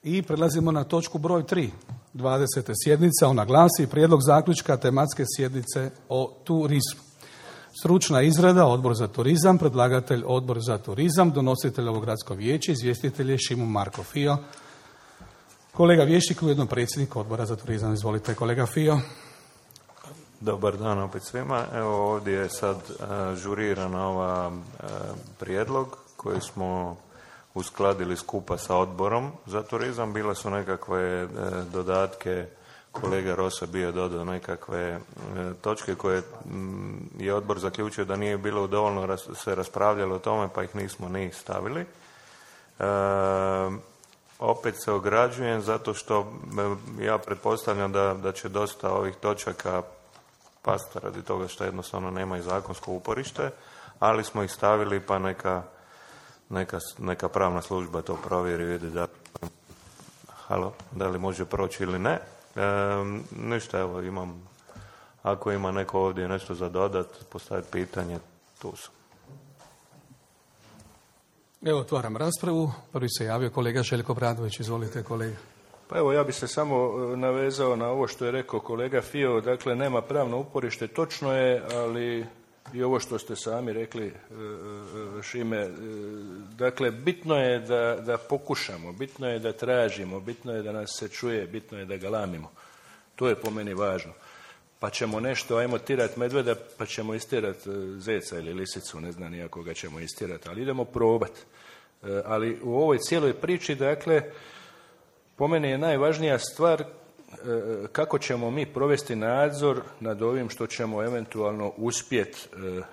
I prelazimo na točku broj 3, 20. sjednica. Ona glasi prijedlog zaključka tematske sjednice o turizmu. Stručna izrada, Odbor za turizam, predlagatelj Odbor za turizam, donositelj ovo gradsko vijeće, izvjestitelj je Šimo Marko Fio. Kolega Vješnik, ujedno predsjednik Odbora za turizam. Izvolite, kolega Fio. Dobar dan opet svima. Evo ovdje je sad žuriran ova prijedlog koji smo uskladili skupa sa Odborom za turizam. Bile su nekakve dodatke, kolega Rosa bio dodao nekakve točke koje je Odbor zaključio da nije bilo dovoljno se raspravljalo o tome, pa ih nismo ni stavili. Opet se ograđujem zato što ja pretpostavljam da će dosta ovih točaka pasti radi toga što jednostavno nema i zakonsko uporište, ali smo ih stavili pa neka pravna služba to provjeri i vidi da li može proći ili ne. Ništa, evo ako ima neko ovdje nešto za dodat, postaviti pitanje, tu sam. Evo, otvaram raspravu. Prvi se javio kolega Željko Bradović. Izvolite, kolega. Pa evo, ja bih se samo navezao na ovo što je rekao kolega Fio. Dakle, nema pravno uporište, točno je, ali i ovo što ste sami rekli, Šime, dakle, bitno je da pokušamo, bitno je da tražimo, bitno je da nas se čuje, bitno je da galamimo. To je po meni važno. Pa ćemo nešto, ajmo tirat medveda, pa ćemo istirat zeca ili lisicu, ne znam nijako ga ćemo istirat, ali idemo probat. Ali u ovoj cijeloj priči, dakle, po meni je najvažnija stvar kako ćemo mi provesti nadzor nad ovim što ćemo eventualno uspjeti,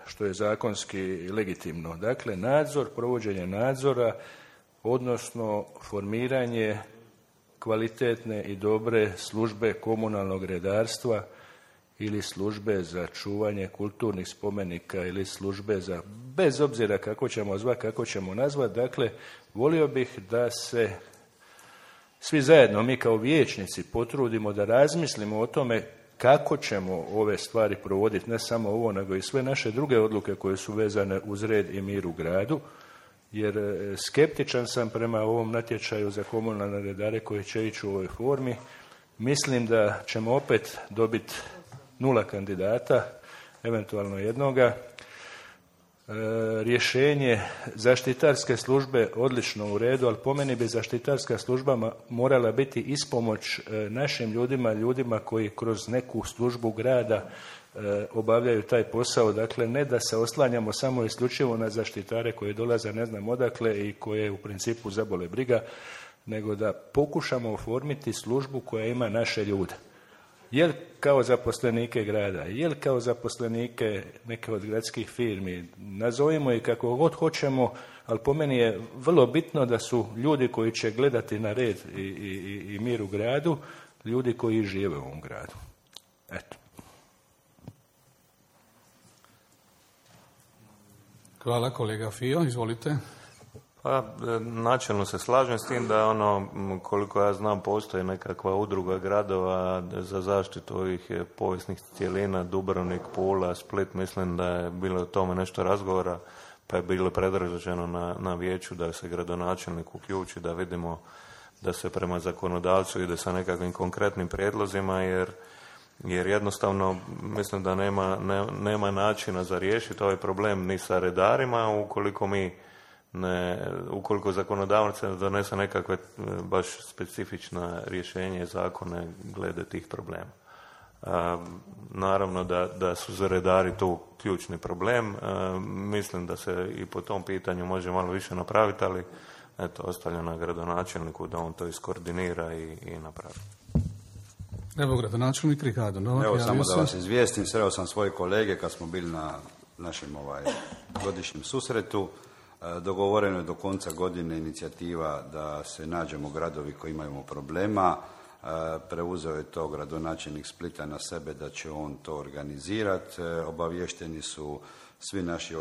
što je zakonski legitimno. Dakle, nadzor, provođenje nadzora, odnosno formiranje kvalitetne i dobre službe komunalnog redarstva ili službe za čuvanje kulturnih spomenika ili službe za, bez obzira kako ćemo zvati, kako ćemo nazvati. Dakle, volio bih da se svi zajedno, mi kao vijećnici, potrudimo da razmislimo o tome kako ćemo ove stvari provoditi, ne samo ovo, nego i sve naše druge odluke koje su vezane uz red i mir u gradu, jer skeptičan sam prema ovom natječaju za komunalne redare koji će ići u ovoj formi. Mislim da ćemo opet dobiti 0 kandidata, eventualno jednoga. Rješenje zaštitarske službe odlično u redu, ali po meni bi zaštitarska služba morala biti ispomoć našim ljudima koji kroz neku službu grada obavljaju taj posao. Dakle, ne da se oslanjamo samo isključivo na zaštitare koji dolaze ne znam odakle i koje u principu zabole briga, nego da pokušamo oformiti službu koja ima naše ljude. Jel kao zaposlenike grada, jel kao zaposlenike neke od gradskih firmi, nazovimo ih kako god hoćemo, ali po meni je vrlo bitno da su ljudi koji će gledati na red i mir u gradu, ljudi koji žive u ovom gradu. Eto. Hvala, kolega Fio, izvolite. Pa, načelno se slažem s tim da koliko ja znam, postoji nekakva udruga gradova za zaštitu ovih povijesnih cjelina, Dubrovnik, Pula, Split, mislim da je bilo o tome nešto razgovora, pa je bilo predloženo na vijeću da se gradonačelnik uključi, da vidimo da se prema zakonodavcu ide sa nekakvim konkretnim prijedlozima, jer jednostavno mislim da nema načina za riješiti ovaj problem ni sa redarima ukoliko zakonodavac ne donese nekakve baš specifična rješenje zakone glede tih problema. Naravno da su za redari tu ključni problem. Mislim da se i po tom pitanju može malo više napraviti, ali eto, ostavljam na gradonačelniku da on to iskoordinira i napravi. Evo, gradonačelnik Ricardo Novak. Evo, samo da vas izvijestim, sreo sam svoje kolege kad smo bili na našem godišnjem susretu. Dogovoreno je do konca godine inicijativa da se nađemo gradovi koji imaju problema. Preuzeo je to gradonačelnik Splita na sebe da će on to organizirati. Obavješteni su svi naši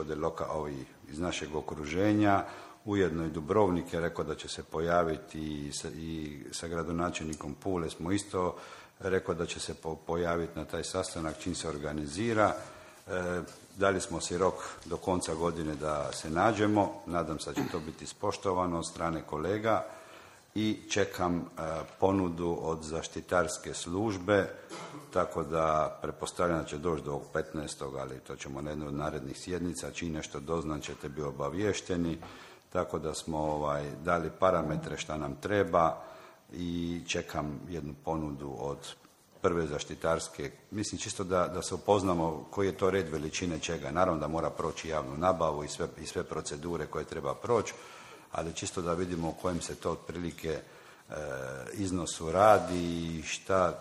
ovi iz našeg okruženja. Ujedno i Dubrovnik je rekao da će se pojaviti i sa gradonačelnikom Pule smo isto rekao da će se pojaviti na taj sastanak čim se organizira. Dali smo si rok do konca godine da se nađemo. Nadam se da će to biti ispoštovano od strane kolega. i čekam ponudu od zaštitarske službe, tako da pretpostavljam da će doći do ovog 15. ali to ćemo na jednoj od narednih sjednica, čim nešto doznam ćete biti obaviješteni, tako da smo dali parametre šta nam treba i čekam jednu ponudu od prve zaštitarske, mislim čisto da se upoznamo koji je to red veličine čega. Naravno da mora proći javnu nabavu i sve procedure koje treba proći, ali čisto da vidimo u kojem se to otprilike iznosu radi i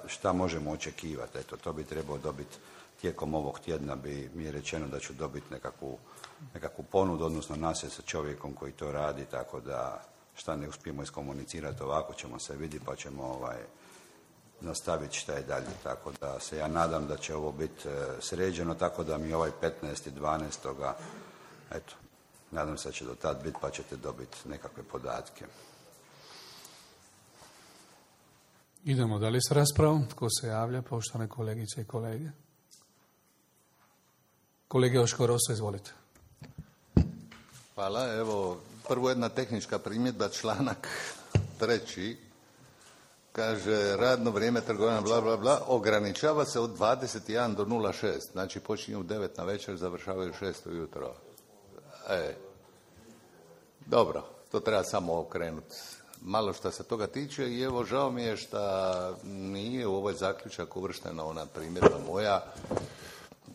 šta možemo očekivati. Eto, to bi trebao dobiti tijekom ovog tjedna, mi je rečeno da ću dobiti nekakvu ponudu, odnosno nasjed sa čovjekom koji to radi, tako da šta ne uspijemo iskomunicirati ovako ćemo se vidjeti pa ćemo nastaviti šta je dalje. Tako da se ja nadam da će ovo biti sređeno, tako da mi 15.12. eto, nadam se da će do tad biti pa ćete dobiti nekakve podatke. Idemo dalje s raspravom. Tko se javlja, poštovane kolegice i kolege? Kolege Joško Rosa, izvolite. Hvala. Evo, prvo jedna tehnička primjedba, članak 3. kaže radno vrijeme trgovanja bla bla bla ograničava se od 21 do 06, znači počinju u 9 na večer, završavaju 6 ujutro. Dobro, to treba samo okrenuti. Malo što se toga tiče i evo žao mi je što nije u ovaj zaključak uvrštena ona primjedba moja,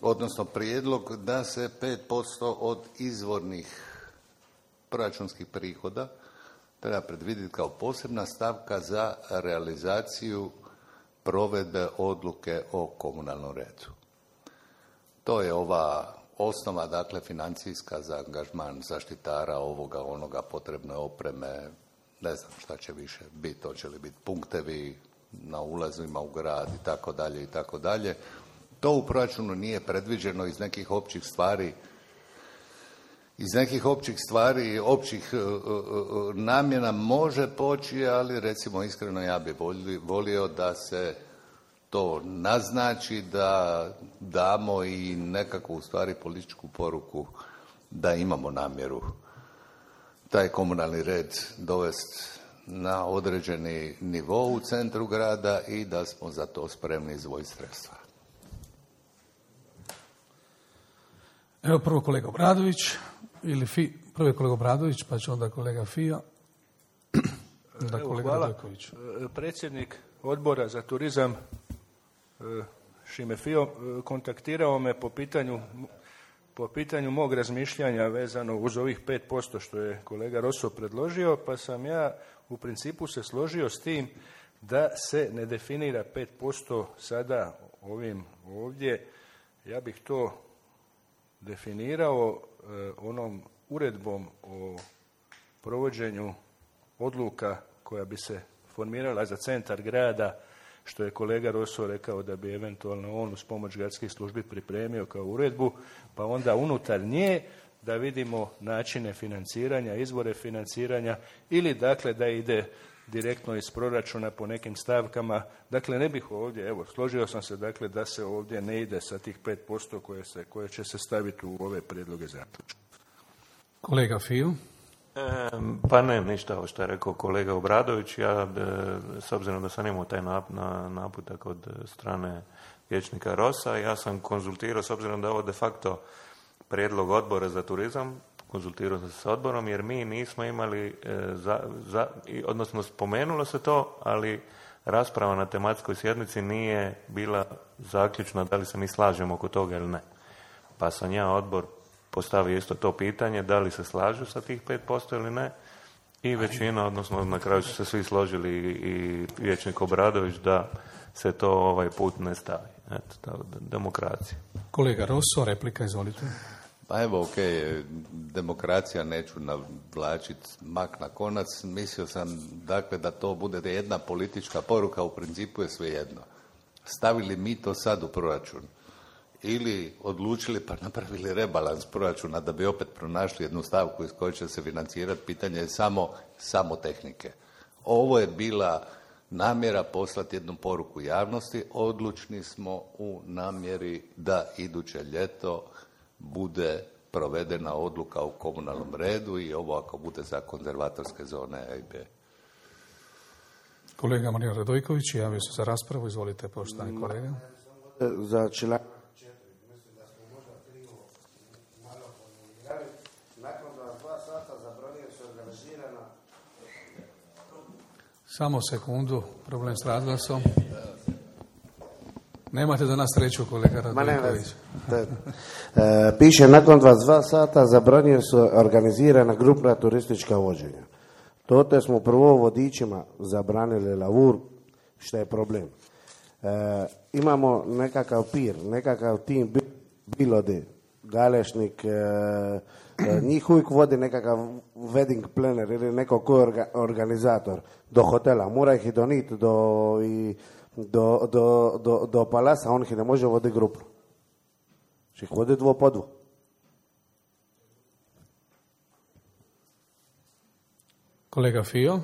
odnosno prijedlog da se 5% od izvornih proračunskih prihoda treba predvidjeti kao posebna stavka za realizaciju provedbe odluke o komunalnom redu. To je ova osnova, dakle, financijska za angažman zaštitara, ovoga, onoga, potrebne opreme, ne znam šta će više biti, hoće li biti punktevi na ulazima u grad i tako dalje i tako dalje. To u proračunu nije predviđeno iz nekih općih stvari, općih namjena može poći, ali recimo iskreno ja bi volio da se to naznači, da damo i nekakvu u stvari političku poruku da imamo namjeru taj komunalni red dovesti na određeni nivo u centru grada i da smo za to spremni izdvojiti sredstva. Evo prvo kolega Obradović, prvo je kolega Obradović, pa će onda kolega Fio, onda kolega Radojković. Predsjednik odbora za turizam Šime Fio kontaktirao me po pitanju mog razmišljanja vezano uz ovih 5% što je kolega Rosso predložio, pa sam ja u principu se složio s tim da se ne definira 5% sada ovim ovdje. Ja bih to definirao onom uredbom o provođenju odluka koja bi se formirala za centar grada, što je kolega Rosso rekao da bi eventualno on uz pomoć gradskih službi pripremio kao uredbu, pa onda unutar nje da vidimo načine financiranja, izvore financiranja ili dakle da ide direktno iz proračuna po nekim stavkama. Dakle, ne bih ovdje, evo, složio sam se dakle da se ovdje ne ide sa tih 5% koje će se staviti u ove prijedloge zaključka. Kolega Fio. Pa ne, ništa ovo što je rekao kolega Obradović. Ja, s obzirom da sam imao taj naputak od strane vijećnika Rosa, ja sam konzultirao, s obzirom da je ovo de facto prijedlog odbora za turizam, konzultirao sam se s odborom, jer mi nismo imali, odnosno spomenulo se to, ali rasprava na tematskoj sjednici nije bila zaključna da li se mi slažemo oko toga ili ne. Pa sam ja odbor postavio isto to pitanje, da li se slažu sa tih 5% ili ne, i većina, odnosno na kraju su se svi složili i vijećnik Obradović da se to ovaj put ne stavi. Eto, demokracija. Kolega Rosso, replika, izvolite. Pa evo, ok, demokracija, neću navlačiti mak na konac. Mislio sam, dakle, da to bude jedna politička poruka, u principu je svejedno. Stavili mi to sad u proračun ili odlučili pa napravili rebalans proračuna da bi opet pronašli jednu stavku iz koje će se financirati, pitanje je samo tehnike. Ovo je bila namjera poslati jednu poruku javnosti. Odlučni smo u namjeri da iduće ljeto bude provedena odluka u komunalnom redu i ovo ako bude za konzervatorske zone A i B. Kolega Marijan Radojković javio se za raspravu. Izvolite, poštovani kolega. Za članak 4, mislim da smo možda krivo malo formulirali. Nakon 2 sata zabranjuje se organizirana... Samo sekundu, problem s razglasom. Nemate danas sreću, kolega Radojković. Piše nakon 22 sata zabranjuje se organizirana grupna turistička vođenja. Tote smo prvo vodičima zabranili lavur, što je problem. Imamo nekakav pir, nekakav tim, bilo de, Galešnik, njih uvijek vodi nekakav wedding planner ili neko ko je organizator do hotela. Mora ih i doniti do palasa, on ih ne može voditi grupu. Če ih vodi 2 po 2. Kolega Fio.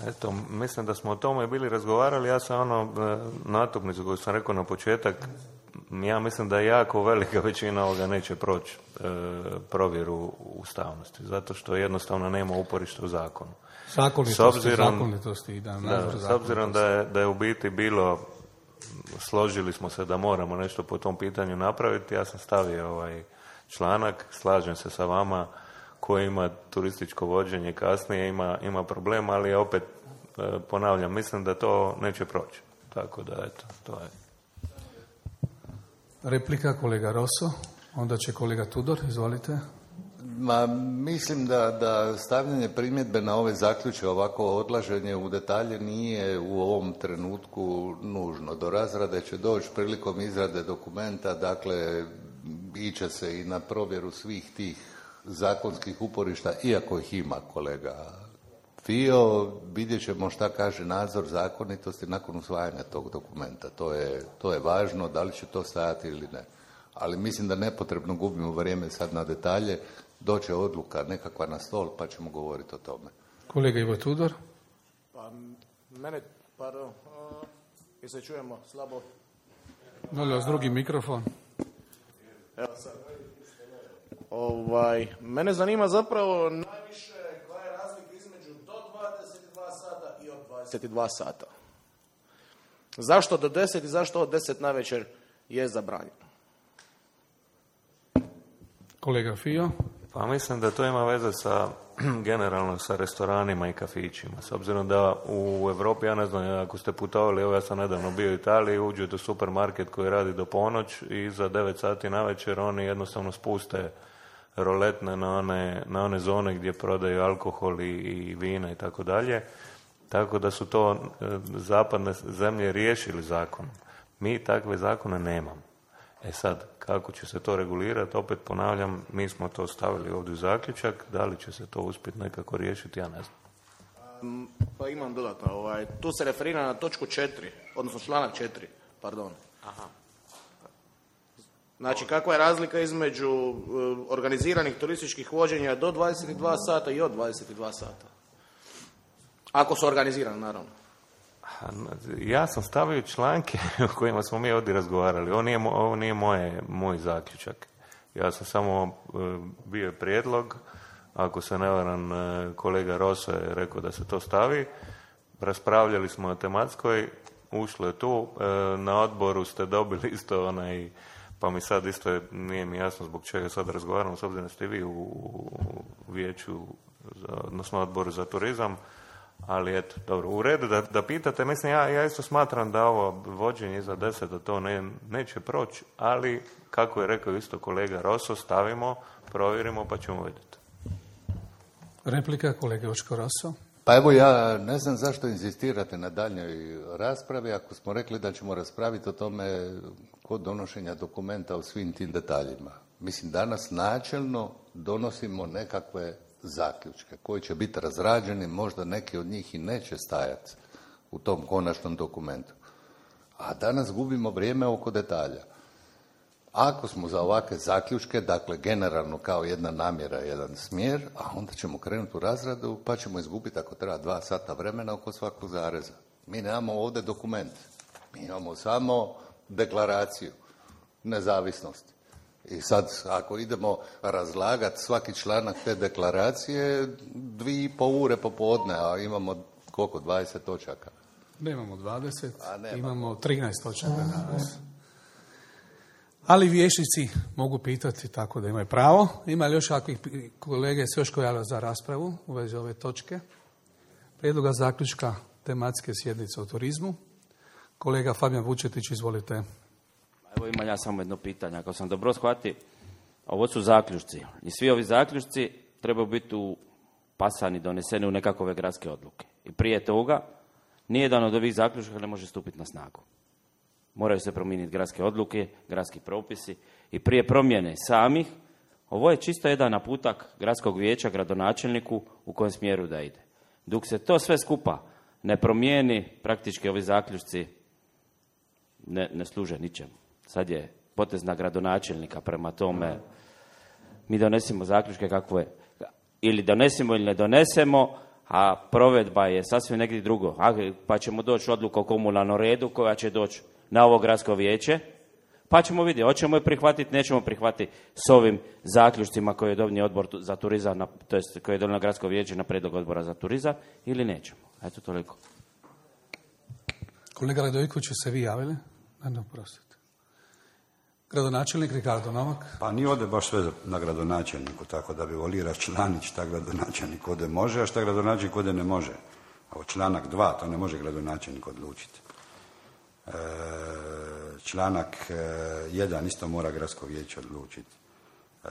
Eto, mislim da smo o tome bili razgovarali. Ja sam natuknicu koju sam rekao na početak, ja mislim da jako velika većina ovoga neće proći provjeru ustavnosti, zato što jednostavno nema uporišta u zakonu. Zakonitosti. S obzirom da je u biti bilo, složili smo se da moramo nešto po tom pitanju napraviti, ja sam stavio ovaj članak, slažem se sa vama, koji ima turističko vođenje kasnije, ima problem, ali opet ponavljam, mislim da to neće proći. Tako da, eto, to je. Replika, kolega Rosso, onda će kolega Tudor, izvolite. Mislim da stavljanje primjedbe na ove zaključke, ovako odlaženje u detalje nije u ovom trenutku nužno. Do razrade će doći prilikom izrade dokumenta, dakle, iće se i na provjeru svih tih zakonskih uporišta, iako ih ima, kolega Fio, vidjet ćemo šta kaže nadzor zakonitosti nakon usvajanja tog dokumenta. To je važno, da li će to stajati ili ne. Ali mislim da nepotrebno gubimo vrijeme sad na detalje, doće odluka nekakva na stol pa ćemo govoriti o tome. Kolega Ivo Tudor. Pa mene, pardon, i se čujemo slabo. Molim vas, drugi mikrofon. Evo sad. Mene zanima zapravo najviše koja je razlika između do 22 sata i od 22 sata. Zašto do 10 i zašto od 10 navečer je zabranjeno? Kolega Fio. Pa mislim da to ima veze sa generalno sa restoranima i kafićima. S obzirom da u Europi, ja ne znam, ako ste putovali, evo ja sam nedavno bio u Italiji, uđete u supermarket koji radi do ponoć i za 9 sati navečer oni jednostavno spuste roletne na one zone gdje prodaju alkohol i vina i tako dalje. Tako da su to zapadne zemlje riješili zakonom. Mi takve zakone nemamo. E sad, kako će se to regulirati, opet ponavljam, mi smo to stavili ovdje u zaključak, da li će se to uspjeti nekako riješiti, ja ne znam. Pa imam dodatno, tu se referira na točku 4, odnosno članak 4, pardon. Aha. Znači, kakva je razlika između organiziranih turističkih vođenja do 22 sata i od 22 sata? Ako su organizirani, naravno. Ja sam stavio članke o kojima smo mi ovdje razgovarali. Ovo nije moj zaključak. Ja sam samo bio prijedlog, ako se ne varam, kolega Rosso je rekao da se to stavi. Raspravljali smo o tematskoj, ušlo je tu. Na odboru ste dobili isto pa mi sad isto nije mi jasno zbog čega sad razgovaramo, s obzirom da ste vi u vijeću, odnosno odboru za turizam. Ali eto, dobro, u redu da pitate, mislim, ja isto smatram da ovo vođenje iza 10 da to neće proći, ali kako je rekao isto kolega Rosso, stavimo, provjerimo pa ćemo vidjeti. Replika, kolega Očko Rosso. Pa evo, ja ne znam zašto inzistirate na daljnjoj raspravi ako smo rekli da ćemo raspraviti o tome kod donošenja dokumenta o svim tim detaljima. Mislim, danas načelno donosimo nekakve zaključke koji će biti razrađeni, možda neki od njih i neće stajati u tom konačnom dokumentu. A danas gubimo vrijeme oko detalja. Ako smo za ovakve zaključke, dakle generalno kao jedna namjera, jedan smjer, a onda ćemo krenuti u razradu pa ćemo izgubiti ako treba 2 sata vremena oko svakog zareza. Mi nemamo ovdje dokument, mi imamo samo deklaraciju nezavisnosti. I sad, ako idemo razlagati svaki članak te deklaracije, 2,5 ure popodne, a imamo Koliko? 20 točaka? Nemamo 20, nema. imamo 13 točaka danas. Ali vijećnici mogu pitati, tako da imaju pravo. Ima li još kakvih kolege se još javljaju za raspravu u vezi ove točke? Prijedloga zaključka tematske sjednice o turizmu. Kolega Fabijan Vučetić, izvolite. Evo imam ja samo jedno pitanje. Ako sam dobro shvatio, ovo su zaključci. I svi ovi zaključci trebaju biti pasani, doneseni u nekakve gradske odluke. I prije toga, nijedan od ovih zaključaka ne može stupiti na snagu. Moraju se promijeniti gradske odluke, gradski propisi i prije promjene samih, ovo je čisto jedan naputak gradskog vijeća, gradonačelniku u kojem smjeru da ide. Dok se to sve skupa ne promijeni, praktički ovi zaključci ne služe ničemu. Sad je potez na gradonačelnika, prema tome mi donesemo zaključke kakvo je. Ili donesemo ili ne donesemo, a provedba je sasvim negdje drugo. Pa ćemo doći odluku o komunalnom redu koja će doći na ovo gradsko vijeće, pa ćemo vidjeti, hoćemo je prihvatiti, nećemo prihvatiti s ovim zaključcima koje je donio odbor za turizam, to jest koje je donio gradsko vijeće na prijedlog odbora za turizam, ili nećemo. Eto toliko. Kolega Radojković, se vi javili? Ne, prostite. Gradonačelnik Ricardo Novak. Pa nije ovdje baš sve na gradonačelniku, tako da bi volio raščlaniti šta gradonačelnik ovdje može, a šta gradonačelnik ovdje ne može. Ovo članak 2, to ne može gradonačelnik odlučiti. Članak 1 isto mora gradsko vijeće odlučiti.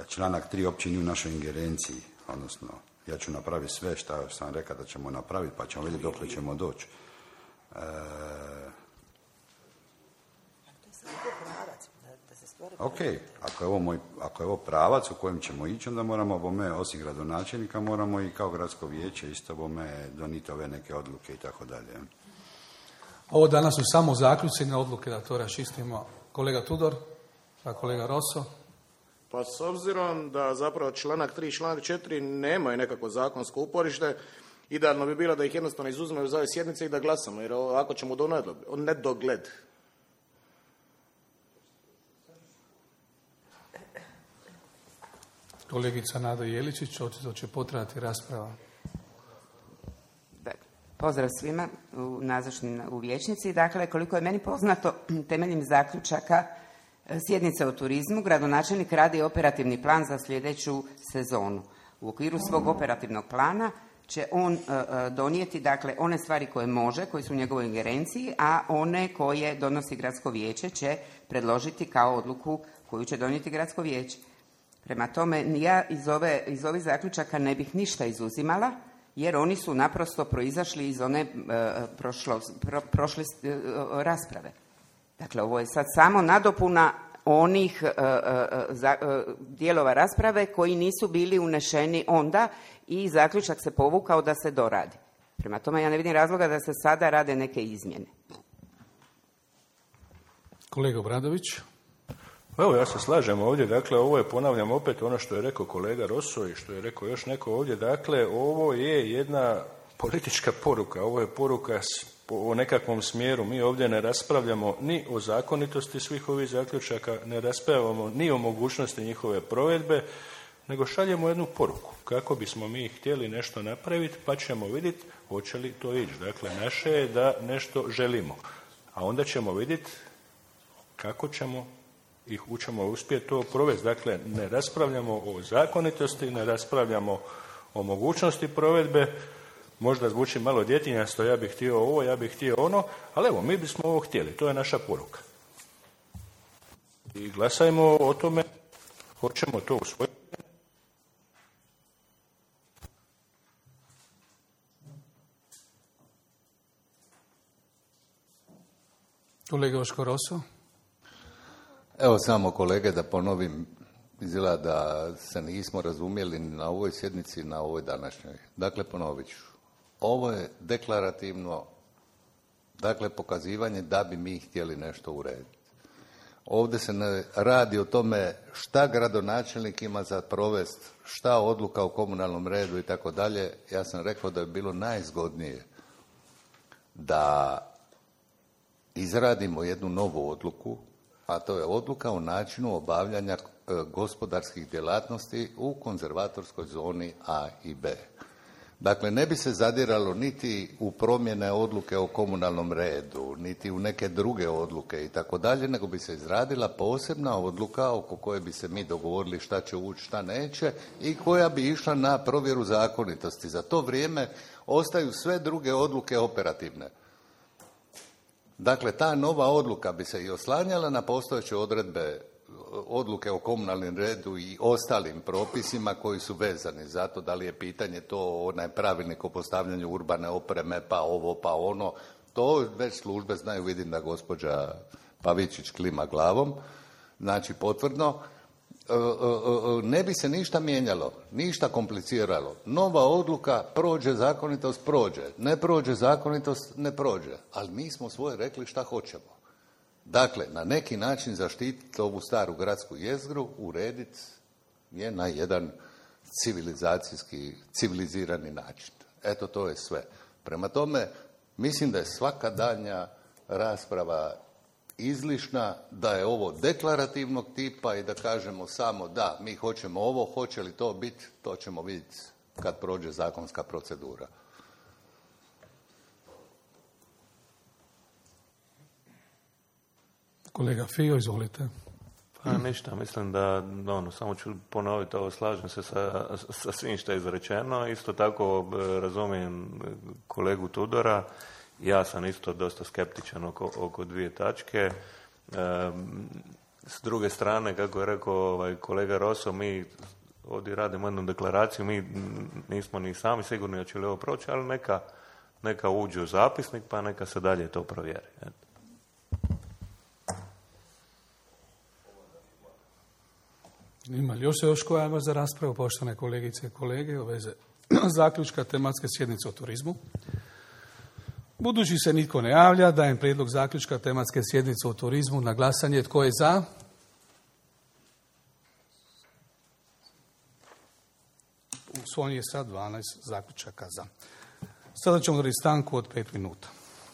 Članak 3 uopće nije u našoj ingerenciji, odnosno ja ću napraviti sve što sam rekao da ćemo napraviti, pa ćemo vidjeti dokle ćemo doći. Ok, ako je ovo pravac u kojem ćemo ići, onda moramo bome, osim gradonačelnika, moramo i kao gradsko vijeće isto bome doniti ove neke odluke i tako dalje. Ovo danas su samo zaključci, ne odluke, da to raščistimo. Kolega Tudor, a kolega Rosso. Pa s obzirom da zapravo članak 3 i članak 4 nemaju nekako zakonsko uporište, idealno bi bilo da ih jednostavno izuzmemo iz ove sjednice i da glasamo, jer ako ćemo do nedogled. Kolegica Nada Jeličić, očito će potrajati rasprava. Pozdrav svima nazočnim u vijećnici. Dakle, koliko je meni poznato, temeljem zaključaka sjednice o turizmu, gradonačelnik radi operativni plan za sljedeću sezonu. U okviru svog operativnog plana će on donijeti, dakle, one stvari koje može, koje su u njegovoj ingerenciji, a one koje donosi gradsko vijeće će predložiti kao odluku koju će donijeti gradsko vijeće. Prema tome, ja iz ovih zaključaka ne bih ništa izuzimala, jer oni su naprosto proizašli iz one prošle rasprave. Dakle, ovo je sad samo nadopuna onih dijelova rasprave koji nisu bili unešeni onda i zaključak se povukao da se doradi. Prema tome, ja ne vidim razloga da se sada rade neke izmjene. Kolega Obradović. Evo, ja se slažem ovdje, dakle, ovo je, ponavljam opet ono što je rekao kolega Rosso i što je rekao još neko ovdje, dakle, ovo je jedna politička poruka, ovo je poruka o nekakvom smjeru. Mi ovdje ne raspravljamo ni o zakonitosti svih ovih zaključaka, ne raspravljamo ni o mogućnosti njihove provedbe, nego šaljemo jednu poruku kako bismo mi htjeli nešto napraviti, pa ćemo vidjeti hoće li to ići. Dakle, naše je da nešto želimo, a onda ćemo vidjeti kako ćemo uspjeti to provesti. Dakle, ne raspravljamo o zakonitosti, ne raspravljamo o mogućnosti provedbe, možda zvuči malo djetinjasto, ja bih htio ovo, ja bih htio ono, ali evo, mi bismo ovo htjeli, to je naša poruka. I glasajmo o tome, hoćemo to usvojiti. Kolega Oško Rosso. Evo samo kolege da ponovim, izgleda da se nismo razumjeli na ovoj sjednici, na ovoj današnjoj. Dakle, ponovit ću. Ovo je deklarativno, dakle, pokazivanje da bi mi htjeli nešto urediti. Ovdje se ne radi o tome šta gradonačelnik ima za provest, šta odluka o komunalnom redu i tako dalje. Ja sam rekao da je bilo najzgodnije da izradimo jednu novu odluku, a to je odluka o načinu obavljanja gospodarskih djelatnosti u konzervatorskoj zoni A i B. Dakle, ne bi se zadiralo niti u promjene odluke o komunalnom redu, niti u neke druge odluke i tako dalje, nego bi se izradila posebna odluka oko koje bi se mi dogovorili šta će ući, šta neće i koja bi išla na provjeru zakonitosti. Za to vrijeme ostaju sve druge odluke operativne. Dakle, ta nova odluka bi se i oslanjala na postojeće odredbe odluke o komunalnom redu i ostalim propisima koji su vezani za to, da li je pitanje to onaj pravilnik o postavljanju urbane opreme, pa ovo, pa ono. To već službe znaju, vidim da gospođa Pavičić klima glavom, znači potvrdno. Ne bi se ništa mijenjalo, ništa kompliciralo. Nova odluka prođe, zakonitost prođe. Ne prođe zakonitost, ne prođe. Ali mi smo svoje rekli šta hoćemo. Dakle, na neki način zaštititi ovu staru gradsku jezgru, urediti je na jedan civilizirani način. Eto, to je sve. Prema tome, mislim da je svaka daljnja rasprava izlišna, da je ovo deklarativnog tipa i da kažemo samo da, mi hoćemo ovo, hoće li to biti, to ćemo vidjeti kad prođe zakonska procedura. Kolega Fio, izvolite. Pa ništa, mislim da samo ću ponoviti ovo, slažem se sa svim što je izrečeno. Isto tako razumijem kolegu Tudora. Ja sam isto dosta skeptičan oko dvije tačke. S druge strane, kako je rekao kolega Rosso, mi ovdje radimo jednu deklaraciju, mi nismo ni sami sigurni hoće li ovo proći, ali neka uđe u zapisnik pa neka se dalje to provjeri. Ima li još koja ima za raspravu, poštovane kolegice i kolege, u vezi zaključka tematske sjednice o turizmu? Budući se nitko ne javlja, dajem prijedlog zaključka tematske sjednice o turizmu na glasanje. Tko je za? Usvojen je sad 12 zaključaka za. Sada ćemo dati stanku od 5 minuta.